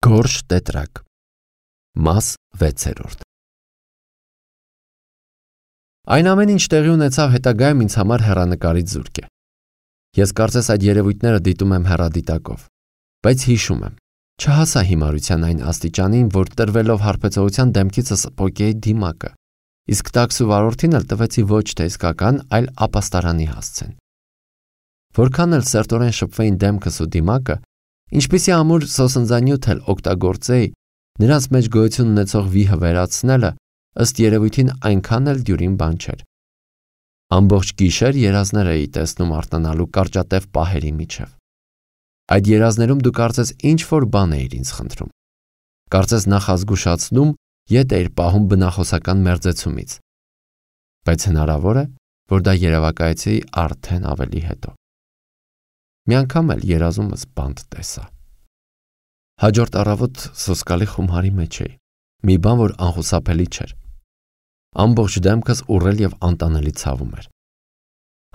Գորշ տետրակ Մաս 6 Այն ամեն ինչ տեղի ունեցավ հետագայում ինձ համար հեռանկարից զուրկ է։ Ես կարծես այդ երևույթները դիտում եմ հեռադիտակով, բայց հիշում եմ, չհասա հիմարության այն աստիճանին, որ տրվելով հարբեցողության դեմքիցս պոկեի դիմակը, իսկ տաքս ու վարորդին էլ տվեցի ոչ թե իսկական, այլ ապաստարանի հասցեն։ Որքան էլ սերտորեն շփվեին դեմքս ու դիմակը, ինչպիսի ամուր սոսնձանյութ էլ օգտագործեի, նրանց մեջ գոյություն ունեցող վիհը վերացնելը ըստ երևույթին այնքան էլ դյուրին բան չէր։ Ամբողջ գիշեր երազներ էի տեսնում արթնանալու կարճատև պահերի միջև։ Այդ երազներում դու կարծես ինչ-որ բան էիր ինձ խնդրում։ Կարծես նախազգուշացնում, ետ էիր պահում բնախոսական մերձեցումից։ Բայց հնարավոր է, որ դա երևակայեցի արդեն ավելի հետո։ Մի անգամ էլ երազումս բանտ տեսա։ Հաջորդ առավոտ սոսկալի խումարի մեջ էի, մի բան, որ անխուսափելի չէր։ Ամբողջ դեմքս ուռել և անտանելի ցավում էր։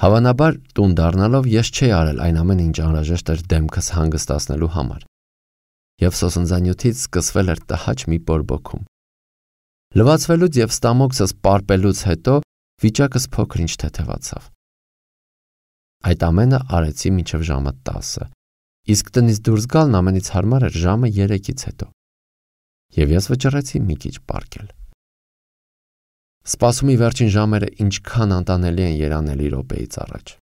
Հավանաբար տուն դառնալով ես չէի արել այն ամեն ինչ անհրաժեշտ էր դեմքս հանգստացնելու համար, և սոսնձանյութից սկսվել էր տհաճ մի բորբոքում։ Լվացվելուց և ստամոքսս պարպելուց հետո վիճակս փոքր-ինչ թեթևացավ։ Այդ ամենը արեցի մինչև ժամը 10, իսկ տնից դուրս գալն ամենից հարմար էր ժամը 3-ից հետո, և ես վճռեցի մի քիչ պառկել։ Սպասումի վերջին ժամերը ինչքան անտանելի են երանելի րոպեից առաջ։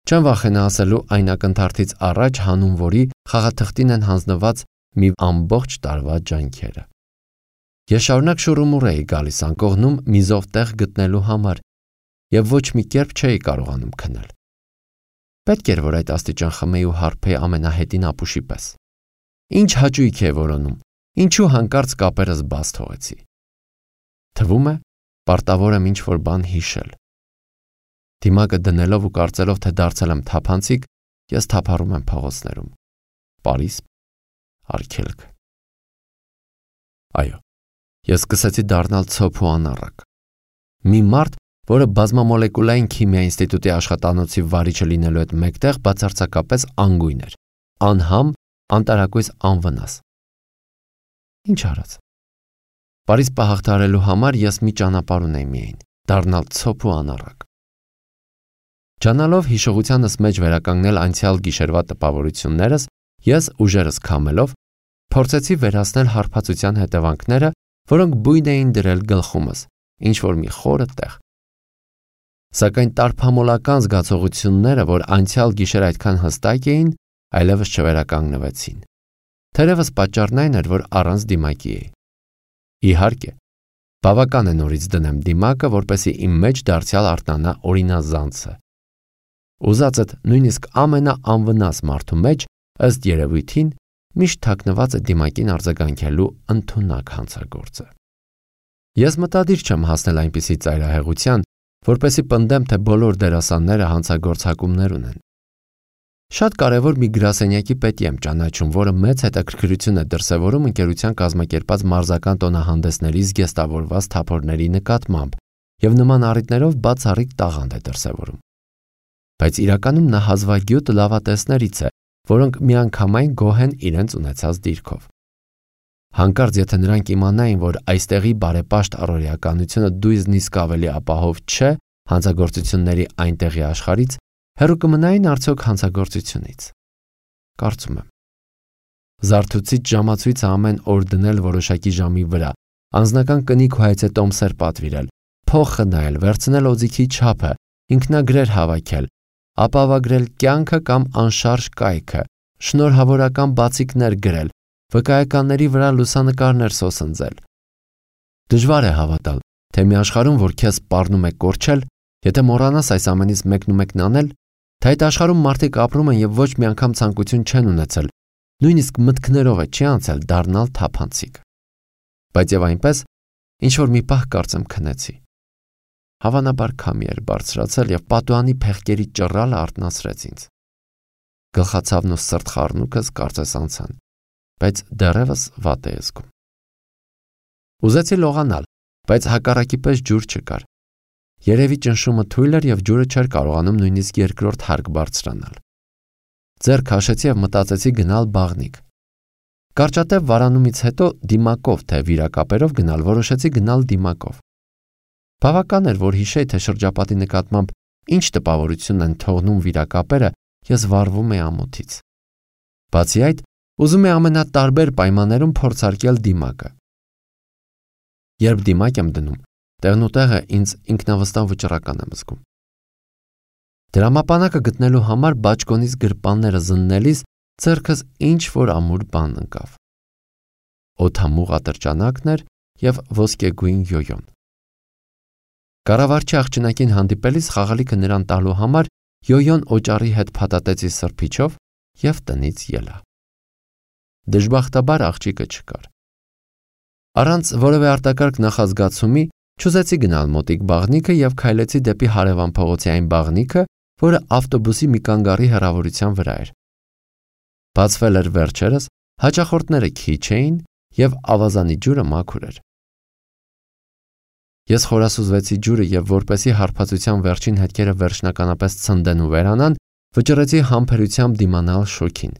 Չեմ վախենա ասելու այն ակնթարթից առաջ, հանուն որի խաղաթղթին են հանձնված մի ամբողջ տարվա ջանքերը։ Ես շարունակ շուռումուռ էի գալիս անկողնում միզով տեղ գտնելու համար, և ոչ մի կերպ չէի կարողանում քնել։ Պետք էր, որ այդ աստիճան խմեի ու հարբեի ամենահետին ապուշի պես։ Ինչ հաճույք է որոնում, ինչու հանկարծ կապերս բաց թողեցի։ Թվում է, պարտավոր եմ ինչ-որ բան հիշել։ Դիմակը դնելով ու կարծելով, թե դարձել եմ թափանցիկ, ես թափառում եմ փողոցներում։ Պարիսպ, արգելք։ Այո, ես սկսեցի դառնալ ցոփ ու անառակ։ Մի մարդ, որը բազմամոլեկուլային քիմիա ինստիտուտի աշխատանոցի վարիչը լինելու հետ մեկտեղ բացարձակապես անգույն էր, անհամ, անտարակույս անվնաս։ Ինչ արած։ Պարիսպը հաղթահարելու համար ես մի ճանապարհ ունեի միայն՝ դառնալ ցոփ ու անառակ։ Ջանալով հիշողությանս մեջ վերականգնել անցյալ գիշերվա տպավորություններս, ես ուժերս քամելով փորձեցի վերացնել հարբածության հետևանքները, որոնք բույն էին դրել գլխումս, ինչ-որ մի խորը տեղ։ Սակայն տարփամոլական զգացողությունները, որ անցյալ գիշեր այդքան հստակ էին, այլևս չվերականգնվեցին։ Թերևս պատճառն այն էր, որ առանց դիմակի էի։ Իհարկե, բավական է նորից դնեմ դիմակը, որպեսզի իմ մեջ դարձյալ արթնանա օրինազանցը։ Ուզածդ նույնիսկ ամենաանվնաս մարդու մեջ, ըստ երևույթին, միշտ թաքնված է դիմակին արձագանքելու ընդունակ հանցագործը։ Ես մտադիր չեմ հասնել այնպիսի ծայրահեղության, որպեսզի պնդեմ, թե բոլոր դերասանները հանցագործակումներ ունեն։ Շատ կարևոր մի գրասենյակի պետի եմ ճանաչում, որը մեծ հետաքրքրություն է դրսևորում ընկերության կազմակերպած մարզական տոնահանդեսների զգեստավորված թափորների նկատմամբ և նման առիթներով բացառիկ տաղանդ է դրսևորում։ Բայց իրականում նա հազվագյուտ լավատեսներից է, որոնք միանգամայն գոհ են իրենց ունեցած դիրքով։ Հանկարծ եթե նրանք իմանային, որ այստեղի բարեպաշտ առօրեականությունը դույզնիսկ ավելի ապահով չէ հանցագործությունների այնտեղի աշխարհից, հեռու կմնային արդյոք հանցագործությունից։ Կարծում եմ։ Զարթուցիչ ժամացույցը ամեն օր դնել որոշակի ժամի վրա, անձնական կնիկ ու հայցետոմսեր պատվիրել, փող խնայել, վերցնել օձիքի չափը, ինքնագրեր հավաքել, ապավագրել կյանքը կամ անշարժ կայքը, շնորհավորական բացիկներ գրել, վկայականների վրա լուսանկարներ սոսնձել։ Դժվար է հավատալ, թե մի աշխարհում, որ քեզ սպառնում է կորչել, եթե մոռանաս այս ամենից մեկնումեկն անել, թե այդ աշխարհում մարդիկ ապրում են և ոչ մի անգամ ցանկություն չեն ունեցել, նույնիսկ մտքներով է չի անցել դառնալ թափանցիկ։ Բայց և այնպես, ինչ-որ մի պահ կարծեմ քնեցի։ Հավանաբար քամի էր բարձրացել և պատուհանի փեղկերի ճռռալը արթնացրեց ինձ։ Գլխացավն ու սրտխառնուկս կարծես անցան, բայց դեռևս վատ է զգում։ Ուզեցի լողանալ, բայց հակառակի պես ջուր չկար։ Երևի ճնշումը թույլ էր և ջուրը չէր կարողանում նույնիսկ երկրորդ հարկ բարձրանալ։ Ձեռք քաշեցի և մտածեցի գնալ բաղնիք։ Կարճատև վարանումից հետո դիմակով թե վիրակապերով գնալ որոշեցի գնալ դիմակով։ Բավական էր, որ հիշեի, թե շրջապատի նկատմամբ ինչ տպավորություն են թողնում վիրակապերը, ես վառվում էի ամոթից։ Բացի այդ, ուզում էի ամենատարբեր պայմաններում փորձարկել դիմակը։ Երբ դիմակ եմ դնում, տեղնուտեղը ինձ ինքնավստահ վճռական եմ զգում։ Դրամապանակը գտնելու համար բաճկոնից գրպանները զննելիս ձեռքս ինչ-որ ամուր բան ընկավ։ Օդամուղ ատրճանակն էր և ոսկեգույն յոյոն։ Կառավարչի աղջնակին հանդիպելիս խաղալիքը նրան տալու համար յոյոն օճառի հետ փաթաթեցի սրբիչով և տնից ելա։ Դժբախտաբար աղջիկը չկար։ Առանց որևէ արտակարգ նախազգացումի չուզեցի գնալ մոտիկ բաղնիքը և քայլեցի դեպի հարևան փողոցի այն բաղնիքը, որը ավտոբուսի մի կանգառի հեռավորության վրա էր։ Բացվել էր վերջերս, հաճախորդները քիչ էին և ավազանի ջուրը մաքուր էր։ Ես խորասուզվեցի ջուրը և որպեսզի հարբածության վերջին հետքերը վերջնականապես ցնդեն ու վերանան, վճռեցի համբերությամբ դիմանալ շոքին։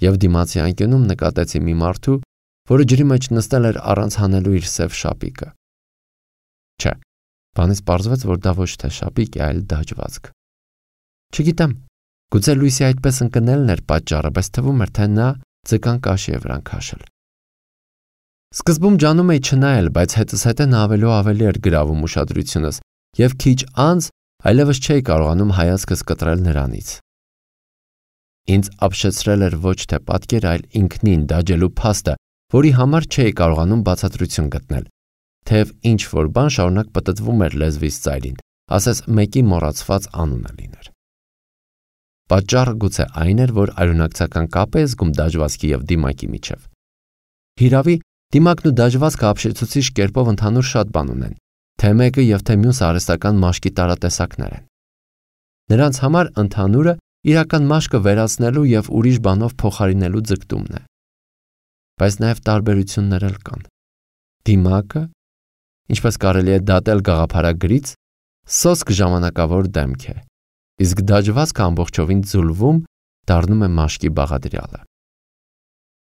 Եվ դիմացի անկյունում նկատեցի մի մարդու, որը ջրի մեջ նստել էր առանց հանելու իր սև շապիկը։ Չէ, բանից պարզվեց, որ դա ոչ թե շապիկ է, այլ դաջվածք։ Չգիտեմ, գուցե լույսի այդպես ընկնելն էր պատճառը, բայց թվում էր, թե նա ձկան կաշի է վրան քաշել։ Սկզբում ջանում էի չնայել, բայց հետզհետե նա ավելի էր գրավում ուշադրությունս, և քիչ անց այլևս չէի կարողանում հայացքս կտրել նրանից։ Ինձ ապշեցրել էր ոչ թե պատկերը, այլ ինքնին դաջելու փաստը, որի համար չէի կարողանում բացատրություն գտնել, թեև ինչ-որ բան շարունակ պտտվում էր լեզվիս ծայրին, ասես մեկի մոռացված անունը լիներ։ Պատճառը գուցե այն էր, որ արյունակցական կապ է զգում դաջվածքի և դիմակի միջև։ Հիրավի, դիմակն ու դաջվածքը ապշեցուցիչ կերպով ընդհանուր շատ բան ունեն, թե մեկը և թե մյուսը արհեստական մաշկի տարատեսակներ են։ Նրանց համար ընդհանուրը իրական մաշկը վերացնելու և ուրիշ բանով փոխարինելու ձգտումն է։ Բայց նաև տարբերություններ էլ կան։ Դիմակը, ինչպես կարելի է դատել գաղափարագրից, սոսկ ժամանակավոր դեմք է, իսկ դաջվածքը ամբողջովին ձուլվում դառնում է մաշկի բաղադրյալը։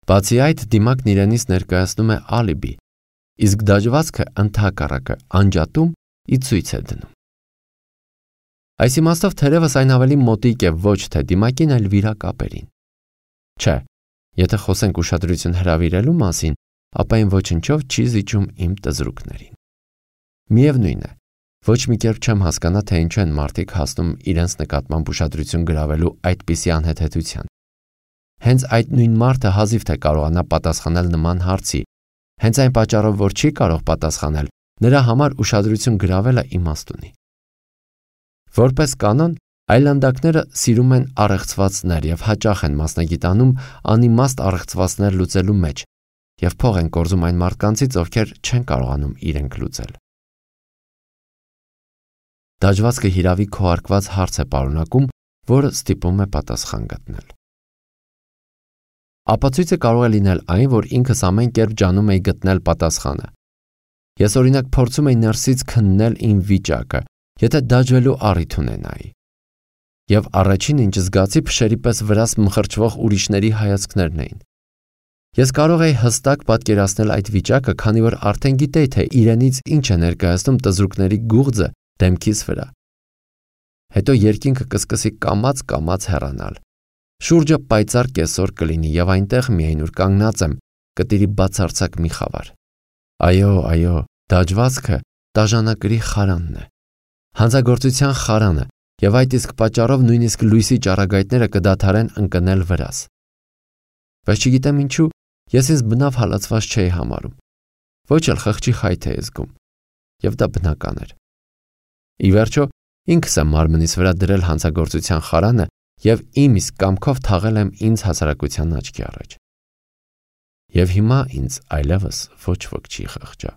Բացի այդ, դիմակն իրենից ներկայացնում է ալիբի, իսկ դաջվածքը ընդհակառակը անջատում ի ցույց է դնում։ Այս իմաստով թերևս այն ավելի մոտիկ է ոչ թե դիմակին, այլ վիրակապերին։ Չէ, եթե խոսենք ուշադրություն հրավիրելու մասին, ապա այն ոչնչով չի զիջում իմ տզրուկներին։ Միևնույն է, ոչ մի կերպ չեմ հասկանա, թե ինչու են մարդիկ հասնում իրենց նկատմամբ ուշադրություն գրավելու այդպիսի անհեթեթության։ Հենց այդ նույն մարդը հազիվ թե կարողանա պատասխանել նման հարցի, հենց այն պատճառով, որ չի կարող պատասխանել, նրա համար ուշադրություն գրավելը իմաստ ունի։ Որպես կանոն, այլանդակները սիրում են առեղծվածներ և հաճախ են մասնագիտանում անիմաստ առեղծվածներ լուծելու մեջ և փող են կորզում այն մարդկանցից, ովքեր չեն կարողանում իրենք լուծել։ Դաջվածքը հիրավի քողարկված հարց է պարունակում, որը ստիպում է պատասխան գտնել։ Ապացույցը կարող է լինել այն, որ ինքս ամեն կերպ ջանում էի գտնել պատասխանը։ Ես օրինակ փորձում էի ներսից քննել իմ վիճակը, եթե դաջվելու առիթ ունենայի։ Եվ առաջին ինչ զգացի փշերի պես վրաս մխրճվող ուրիշների հայացքներն էին։ Ես կարող էի հստակ պատկերացնել այդ վիճակը, քանի որ արդեն գիտեի, թե իրենից ինչ է ներկայացնում տզրուկների գուղձը դեմքիս վրա։ Հետո երկինքը կսկսի կամաց հեռանալ։ Շուրջը պայծառ կեսօր կլինի և այնտեղ միայն ուր կանգնած եմ, կտիրի բացարձակ մի խավար։ Այո, դաջվածքը տաժանակրի խարանն է, հանցագործության խարանը, և այդ իսկ պատճառով նույնիսկ լույսի ճառագայթները կդադարեն ընկնել վրաս։ Բայց չգիտեմ ինչու, ես ինձ բնավ հալածված չէի համարում, ոչ էլ խղճի խայթ էի զգում, և դա բնական էր։ Ի վերջո, ինքս եմ մարմնիս վրա դրել հանցագործության խարանը և իմ իսկ կամքով թաղել եմ ինձ հասարակության աչքի առաջ։ Եվ հիմա ինձ այլևս ոչ ոք չի խղճա։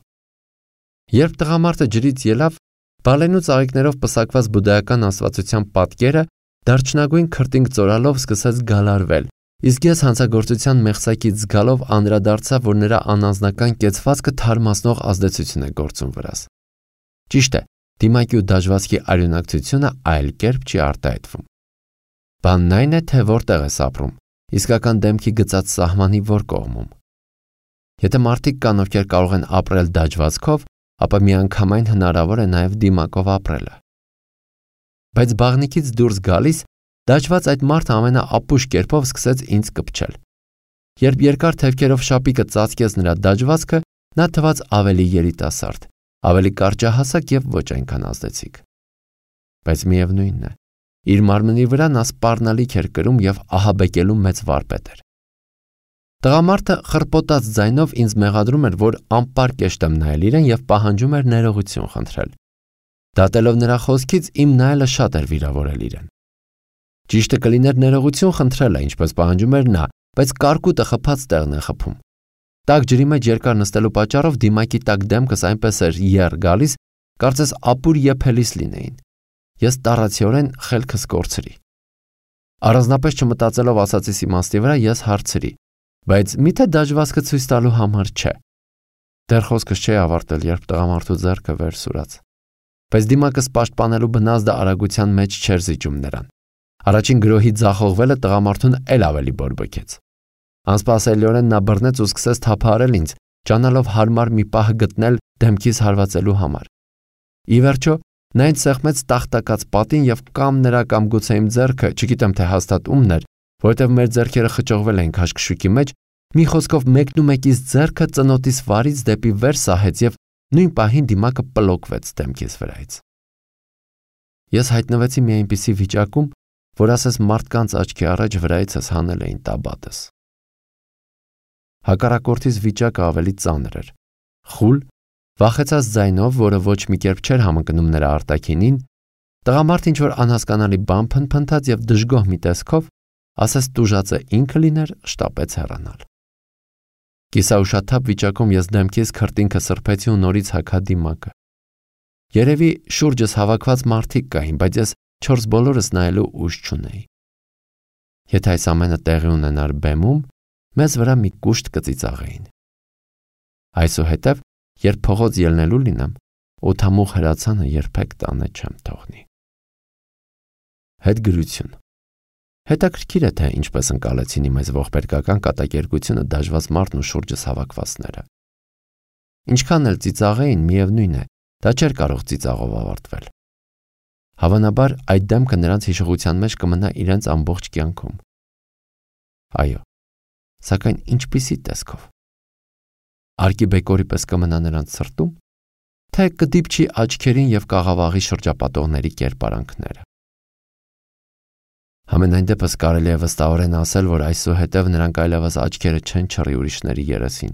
Երբ տղամարդը ջրից ելավ, բալենու ծաղիկներով պսակված բուդդայական աստվածության պատկերը դարչնագույն քրտինք ծորալով սկսեց գալարվել, իսկ ես հանցագործության մեղսակից զգալով անդրադարձա, որ նրա անանձնական կեցվածքը թարմացնող ազդեցություն է գործում վրաս։ Ճիշտ է, դիմակի ու դաջվածքի արյունակցությունը այլ կերպ չի արտահայտվում։ Բանն այն է, թե որտեղ ես ապրում իսկական դեմքի գծած սահմանի որ կողմում։ Եթե մարդիկ կան, ովքեր կարող են ապրել դաջվածքով, ապա միանգամայն հնարավոր է նաև դիմակով ապրելը։ Բայց բաղնիքից դուրս գալիս, դաջված այդ մարդը ամենաապուշ կերպով սկսեց ինձ կպչել։ Երբ երկար թևքերով շապիկը ծածկեց նրա դաջվածքը, նա թվաց ավելի երիտասարդ, ավելի կարճահասակ եւ ոչ այնքան ազդեցիկ։ Բայց միևնույնն է, իր մարմնի վրա նա սպառնալիք էր կրում եւ ահաբեկելու մեծ վարպետ էր։ Տղամարդը խռպոտած ձայնով ինձ մեղադրում էր, որ անպարկեշտ եմ նայել իրեն եւ պահանջում էր ներողություն խնդրել։ Դատելով նրա խոսքից իմ նայելը շատ էր վիրավորել իրեն։ Ճիշտը կլիներ ներողություն խնդրելը, ինչպես պահանջում էր նա, բայց կարկուտը խփած տեղն է խփում։ Տաք ջրի մեջ երկար նստելու պատճառով դիմակի տակ դեմքս այնպես էր եռ գալիս, կարծես ապուր եփելիս լինեին։ Ես տառացիորեն խելքս կորցրի։ Առանձնապես չմտածելով ասածիս իմաստի վրա ես հարցրի. բայց միթե դաջվածքը ցույց տալու համար չէ։ Դեռ խոսքս չէի ավարտել, երբ տղամարդու ձեռքը վեր սուրաց։ Բայց դիմակս պաշտպանելու բնազդը արագության մեջ չէր զիջում նրան։ Առաջին գրոհի ձախողվելը տղամարդուն էլ ավելի բորբոքեց։ Անսպասելիորեն նա բռնեց ու սկսեց թափահարել ինձ, ճանալով հարմար մի պահ գտնել դեմքիս հարվածելու համար։ Ի վերջո, նա ինձ սեղմեց տախտակած պատին եւ կամ նրա կամ գուցե իմ ձեռքը, չգիտեմ թե հաստատ ումն էր, որովհետև մեր ձեռքերը խճողվել էին քաշքշուկի մեջ, մի խոսքով մեկնումեկից ձեռքը ծնոտիս վարից դեպի վեր սահեց եւ նույն պահին դիմակը պլոկվեց դեմքիս վրայից։ Ես հայտնվեցի մի այնպիսի վիճակում, որ ասես մարդկանց աչքի առաջ վրայիցս հանել էին տաբատս։ Հակառակորդից վիճակը ավելի ծանր էր։ Խուլ, վախեցած ձայնով, որը ոչ մի կերպ չէր համընկնում նրա արտաքինին, տղամարդ ինչ-որ անհասկանալի բան փնփնթաց եւ դժգոհ մի տեսքով, ասես տուժածը ինքը լիներ, շտապեց հեռանալ։ Կիսաուշաթափ վիճակում ես դեմքիս քրտինքը սրբեցի ու նորից հագա դիմակը։ Երևի շուրջս հավաքված մարդիկ կային, բայց ես չորս բոլորս նայելու ուժ չունեի։ Եթե այս ամենը տեղի ունենար բեմում, մեզ վրա մի կուշտ կծիծաղեին։ Այսուհետև, երբ փողոց ելնելու լինեմ, օդամուղ հրացանը երբեք տանը չեմ թողնի։ Հետգրություն։ Հետաքրքիր է, թե ինչպես ընկալեցին իմ այս ողբերգական կատակերգությունը դաջված մարդն ու շուրջս հավաքվածները։ Ինչքան էլ ծիծաղեին, միևնույն է, դա չէր կարող ծիծաղով ավարտվել։ Հավանաբար այդ դեմքը նրանց հիշողության մեջ կմնա իրենց ամբողջ կյանքում։ Այո, սակայն ինչպիսի տեսքով։ Արկիբեկորի պես կմնա նրանց սրտում, թե կդիպչի աչքերին եւ կաղավաղի շրջապատողների կերպարանքները։ Համենայն դեպս կարելի է վստահորեն ասել, որ այսուհետև նրանք այլևս աչքերը չեն չռի ուրիշների երեսին։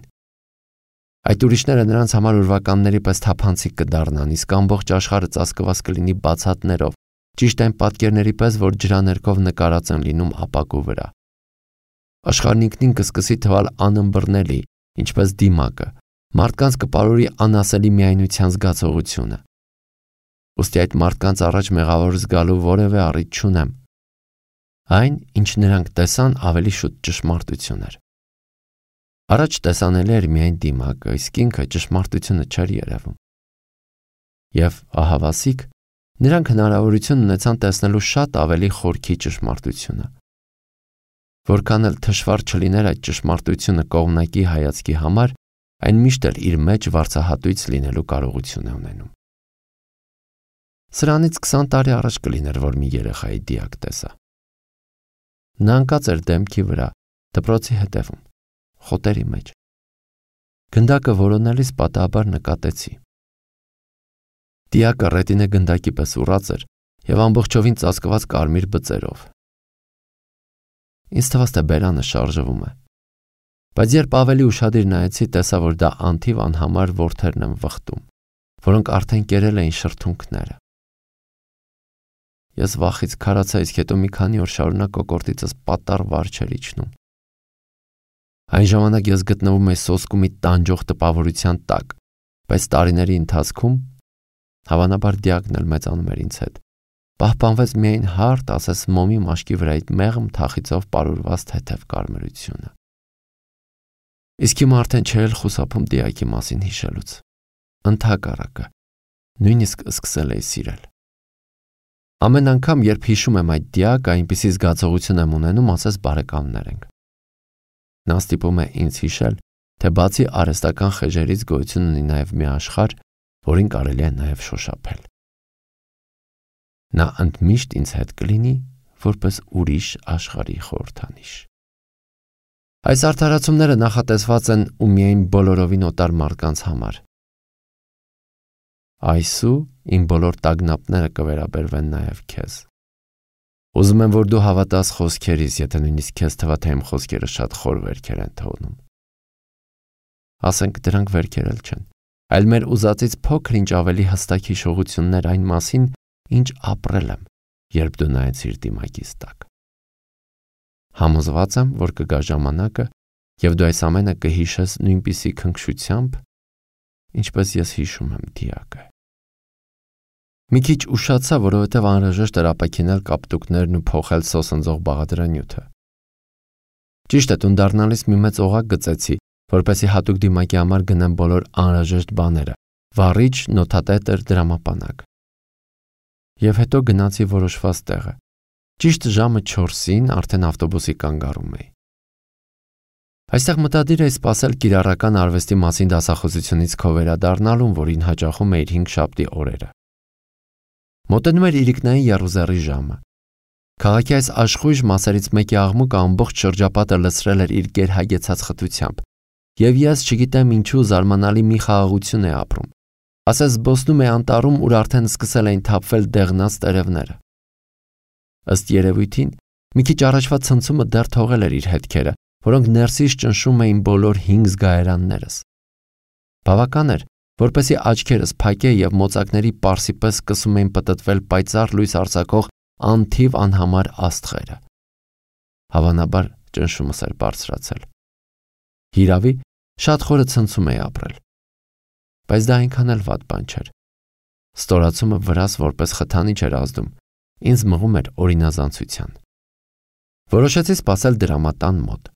Այդ ուրիշները նրանց համար ուրվականների պես թափանցիկ կդառնան, իսկ ամբողջ աշխարհը ծածկված կլինի բացատներով, ճիշտ այն պատկերների պես, որ ջրաներկով նկարած են լինում ապակու վրա։ Աշխարհն ինքնին կսկսի թվալ անըմբռնելի, ինչպես դիմակը, մարդկանց կպարուրի անասելի միայնության զգացողությունը։ Ոստի այդ մարդկանց առաջ մեղավոր զգալու որևէ առիթ չունեմ։ Այն, ինչ նրանք տեսան, ավելի շուտ ճշմարտություն էր։ Առաջ տեսանելի էր միայն դիմակը, իսկ ինքը ճշմարտությունը չէր երևում։ Եվ ահավասիկ, նրանք հնարավորություն ունեցան տեսնելու շատ ավելի խորքի ճշմարտությունը։ Որքան էլ թշվառ չլիներ այդ ճշմարտությունը կողմնակի հայացքի համար, այն միշտ էլ իր մեջ վարձահատույց լինելու կարողություն է ունենում։ Սրանից 20 տարի առաջ կլիներ, որ մի երեխայի դիակ տեսա։ Նա ընկած էր դեմքի վրա, դպրոցի հետևում, խոտերի մեջ։ Գնդակը որոնելիս պատահաբար նկատեցի։ Դիակը ռետինե գնդակի պես ուռած էր եւ ամբողջովին ծածկված կարմիր բծերով։ Ինձ թվաց, թե բերանը շարժվում է։ Բայց երբ ավելի ուշադիր նայեցի, տեսա, որ դա անթիվ անհամար որդերն են վխտում, որոնք արդեն կերել էին շրթունքները։ Ես վախից քարացա, իսկ հետո մի քանի օր շարունակ կոկորդիցս պատառ վար չէր իջնում։ Այն ժամանակ ես գտնվում էի սոսկու մի տանջող տպավորության տակ, բայց տարիների ընթացքում, հավանաբար դիակն էլ մեծանում էր ինձ հետ, պահպանվեց միայն հարթ, ասես մոմի մաշկի վրայի մեղմ թախիծով պարուրված թեթև կարմրությունը։ Իսկ հիմա արդեն չէր խուսափում դիակի մասին հիշելուց։ Ընդհակառակը, նույնիսկ սկսել էի սիրել։ Ամեն անգամ, երբ հիշում եմ այդ դիակը, այնպիսի զգացողություն եմ ունենում, ասես բարեկամներ ենք։ Նա ստիպում է ինձ հիշել, թե բացի արհեստական խեժերից գոյություն ունի նաև մի աշխարհ, որին կարելի է նաև շոշափել։ Նա ընդմիշտ ինձ հետ կլինի, որպես ուրիշ աշխարհի խորհրդանիշ։ Այս արդարացումները նախատեսված են ու միայն բոլորովին օտար մարդկանց համար։ Այսու իմ բոլոր տագնապները կվերաբերվեն նաև քեզ։ Ուզում եմ, որ դու հավատաս խոսքերիս, եթե նույնիսկ քեզ թվա, թե իմ խոսքերը շատ խոր վերքեր են թողնում։ Ասենք դրանք վերքեր էլ չեն, այլ մեր ուզածից փոքր-ինչ ավելի հստակ հիշողություններ այն մասին, ինչ ապրել եմ, երբ դու նայեցիր դիմակիս տակ։ Համոզված եմ, որ կգա ժամանակը, եւ դու այս ամենը կհիշես նույնպիսի քնքշությամբ, ինչպես ես հիշում եմ դիակը։ Մի քիչ ուշացա, որովհետև անհրաժեշտ էր ապաքինել կապտուկներն ու փոխել սոսնձող բաղադրանյութը։ Ճիշտ է, տուն դառնալիս մի մեծ օղակ գծեցի, որպեսզի հատուկ դիմակի համար գնեմ բոլոր անհրաժեշտ բաները՝ վառիչ, նոթատետր, դրամապանակ։ Եվ հետո գնացի որոշված տեղը։ Ճիշտ ժամը 4-ին արդեն ավտոբուսի կանգառում էի։ Այստեղ մտադիր էի սպասել կիրառական արվեստի մասին դասախոսությունից քո վերադառնալուն, որին հաճախում էիր 5 շաբթի օրերը։ Մոտենում էր իրիկնային եռուզեռի ժամը։ Քաղաքի այս աշխույժ մասերից մեկի աղմուկը ամբողջ շրջապատը լցրել էր իր գերհագեցած խտությամբ, եւ ես չգիտեմ ինչու զարմանալի մի խաղաղություն է ապրում։ Ասես զբոսնում է անտառում, ուր արդեն սկսել էին թափվել դեղնած տերևները։ Ըստ երևույթին, մի քիչ առաջվա ցնցումը դեռ թողել էր իր հետքերը, որոնք ներսից ճնշում էին բոլոր 5 զգայարաններս։ Բավական էր, որպեսզի աչքերս փակեի եւ մոծակների պարսի պես սկսում էին պտտվել պայծառ լույս արձակող անթիվ անհամար աստղերը։ Հավանաբար ճնշումս էր բարձրացել։ Հիրավի, շատ խորը ցնցում էի ապրել։ Բայց դա այնքան էլ վատ բան չէր։ Ստորացումը վրաս որպես խթանիչ էր ազդում, ինձ մղում էր օրինազանցության։ Որոշեցի սպասել դրամատան մոտ։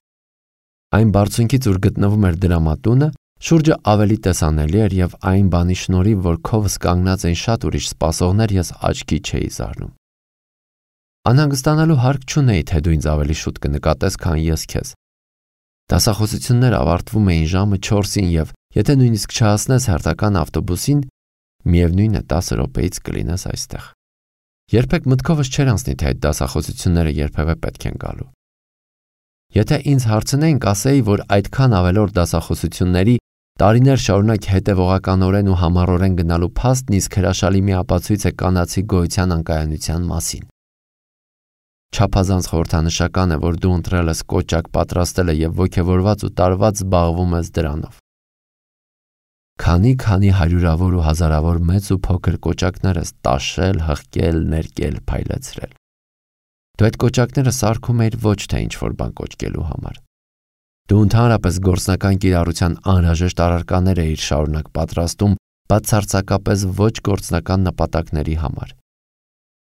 Այն բարձունքից, ուր գտնվում էր դրամատունը, շուրջը ավելի տեսանելի էր եւ այն բանի շնորհիվ, որ քովս կանգնած էին շատ ուրիշ սպասողներ, ես աչքի չէի զարնում։ Անհանգստանալու հարկ չունեի, թե դու ինձ ավելի շուտ կնկատես, քան ես քեզ։ Դասախոսությունները ավարտվում էին ժամը 4-ին եւ եթե նույնիսկ չհասնես հերթական ավտոբուսին, միևնույն է 10 րոպեից կլինես այստեղ։ Երբեք մտքովս չէր անցնի, թե այդ դասախոսությունները երբևէ պետք են գալու։ Եթե ինձ հարցնեին, կասեի, որ այդքան ավելորդ դասախոսությունների տարիներ շարունակ հետևողականորեն ու համառորեն գնալու փաստն իսկ հրաշալի մի ապացույց է կանացի գոյության անկայանության մասին։ Չափազանց խորհրդանշական է, որ դու ընտրել ես կոճակ պատրաստելը եւ ոգևորված ու տարված զբաղվում ես դրանով։ Քանի հարյուրավոր ու հազարավոր մեծ ու փոքր կոճակներ ես տաշել, հղկել, ներկել, փայլեցրել։ Դու այդ կոճակները սարքում էիր ոչ թե ինչ-որ բան կոճկելու համար։ Դու ընդհանրապես գործնական կիրառության անհրաժեշտ առարկաներ էիր շարունակ պատրաստում բացարձակապես ոչ գործնական նպատակների համար։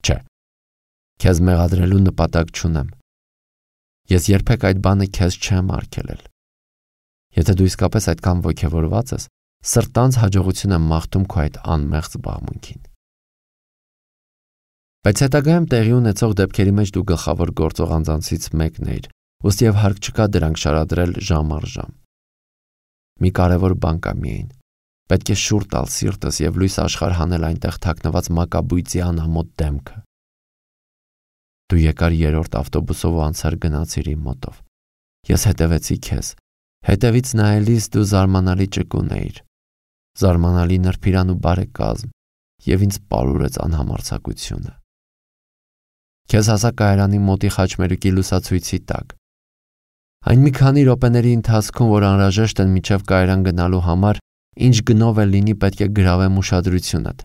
Չէ, քեզ մեղադրելու նպատակ չունեմ։ Ես երբեք այդ բանը քեզ չեմ արգելել։ Եթե դու իսկապես այդքան ոգևորված ես, սրտանց հաջողություն եմ մաղթում քո այդ անմեղ զբաղմունքին։ Բայց հետագայում տեղի ունեցող դեպքերի մեջ դու գլխավոր գործող անձանցից մեկն էիր, ուստի եւ հարկ չկա դրանք շարադրել ժամ առ ժամ։ Մի կարևոր բան կա միայն։ Պետք է շուռ տալ սիրտս եւ լույս աշխարհ հանել այնտեղ թաքնված մակաբույծի անամոթ դեմքը։ Դու եկար 3-րդ ավտոբուսով ու անցար գնացիր իմ մոտով։ Ես հետևեցի քեզ։ Հետևից նայելիս դու զարմանալի ճկուն էիր։ Զարմանալի նրբիրան ու բարեկազմ եւ ինձ պարուրեց անհամարձակությունը։ Քեզ հասա կայարանի մոտի խաչմերուկի լուսացույցի տակ։ Այն մի քանի րոպեների ընթացքում, որ անհրաժեշտ են մինչև կայարան գնալու համար, ինչ գնով էլ լինի, պետք է գրավեմ ուշադրությունդ։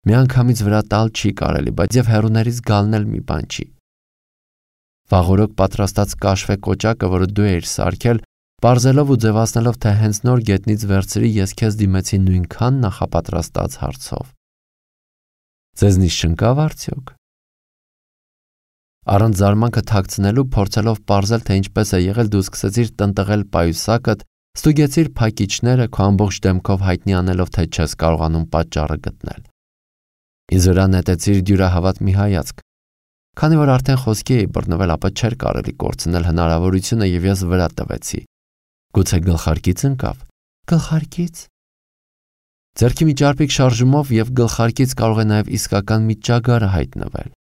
Միանգամից վրա տալ չի կարելի, բայց եւ հեռուներից գալն էլ մի բան չի։ Վաղօրոք պատրաստած կաշվե կոճակը, որը դու էիր սարքել, պարզելով ու ձևացնելով, թե հենց նոր գետնից վերցրի, ես քեզ դիմեցի նույնքան նախապատրաստած հարցով։ Ձեզնից չընկավ արդյոք։ Առանց զարմանքը թաքցնելու, փորձելով պարզել, թե ինչպես է եղել, դու սկսեցիր տնտղել պայուսակդ, ստուգեցիր փակիչները, քո ամբողջ դեմքով հայտնի անելով, թե չես կարողանում պատճառը գտնել։ Ինձ վրա նետեցիր դյուրահավատ մի հայացք։ Քանի որ արդեն խոսքի էի բռնվել, ապա չէր կարելի կորցնել հնարավորությունը եւ ես վրա տվեցի։ Գուցե գլխարկից ընկավ։ Գլխարկից։ Ձեռքի մի ճարպիկ շարժումով եւ գլխարկից կարող է նաեւ իսկական մի ճագարը հայտնվել։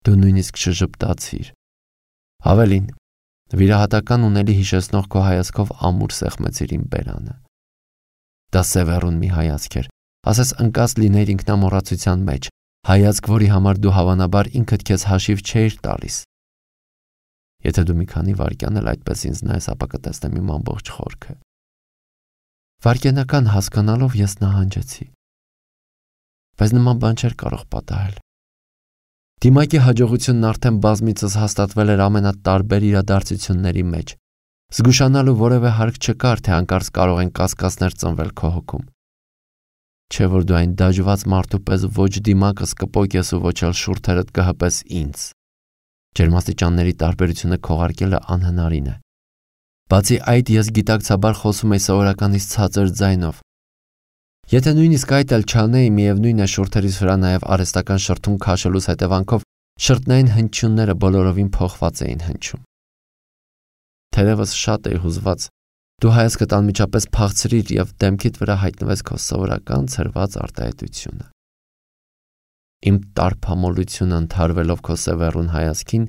Դու նույնիսկ շժպտացիր։ Ավելին, վիրահատական ունելի հիշեցնող քո հայացքով ամուր սեղմեցիր իմ բերանը։ Դա սևեռուն մի հայացք էր, ասես ընկած լինեիր ինքնամոռացության մեջ, հայացք, որի համար դու հավանաբար ինքդ քեզ հաշիվ չէիր տալիս։ Եթե դու մի քանի վայրկյան էլ այդպես ինձ նայես, ապա կտեսնեմ իմ ամբողջ խորքը։ Վայրկենական հասկանալով ես նահանջեցի, բայց նման բան չէր կարող պատահել։ Դիմակի հաջողությունն արդեն բազմիցս հաստատվել էր ամենատարբեր իրադարձությունների մեջ։ Զգուշանալու որևէ հարկ չկար, թե հանկարծ կարող են կասկածներ ծնվել քո հոգում։ Չէ՞ որ դու այն դաջված մարդու պես ոչ դիմակս կպոկես ու ոչ էլ շուրթերդ կհպես ինձ։ Ջերմաստիճանների տարբերությունը քողարկելը անհնարին է։ Բացի այդ, ես գիտակցաբար խոսում եի սովորականից ցածր ձայնով։ Եթե նույնիսկ այդ էլ չանեի, միևնույն է շուրթերիս վրա նաև արհեստական շրթուն քաշելուց հետևանքով շրտնային հնչյունները բոլորովին փոխված էին հնչում։ Թերևս շատ էի հուզված, դու հայացքդ անմիջապես փախցրիր եւ դեմքիդ վրա հայտնվեց քո սովորական ցրված արտահայտությունը։ Իմ տարփամոլությունը ընդհարվելով քո սևեռուն հայացքին,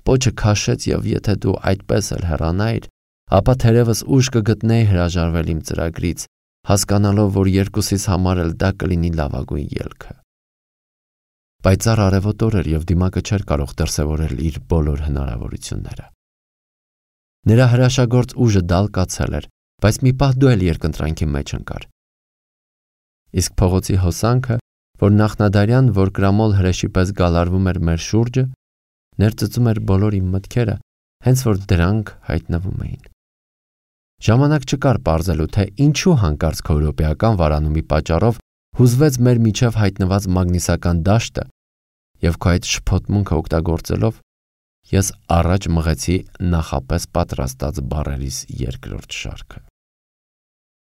պոչը քաշեց եւ եթե դու այդպես էլ հեռանայիր, ապա թերևս ուժ կգտնեի հրաժարվել իմ ծրագրից, հասկանալով, որ երկուսիս համար էլ դա կլինի լավագույն ելքը։ Պայծառ արևոտ օր էր եւ դիմակը չէր կարող դրսևորել իր բոլոր հնարավորությունները։ Նրա հրաշագործ ուժը դալկացել էր, բայց մի պահ դու էլ երկընտրանքի մեջ ընկար։ Իսկ փողոցի հոսանքը, որ նախնադարյան որկրամոլ հրեշի պես գալարվում էր մեր շուրջը, ներծծում էր բոլոր իմ մտքերը, հենց որ դրանք հայտնվում էին։ Ժամանակ չկար պարզելու, թե ինչու հանկարծ քո եվրոպեական վարանումի պատճառով հուզվեց մեր միջև հայտնված մագնիսական դաշտը եւ քո այդ շփոթմունքը օգտագործելով ես առաջ մղեցի նախապես պատրաստած բառերիս երկրորդ շարքը։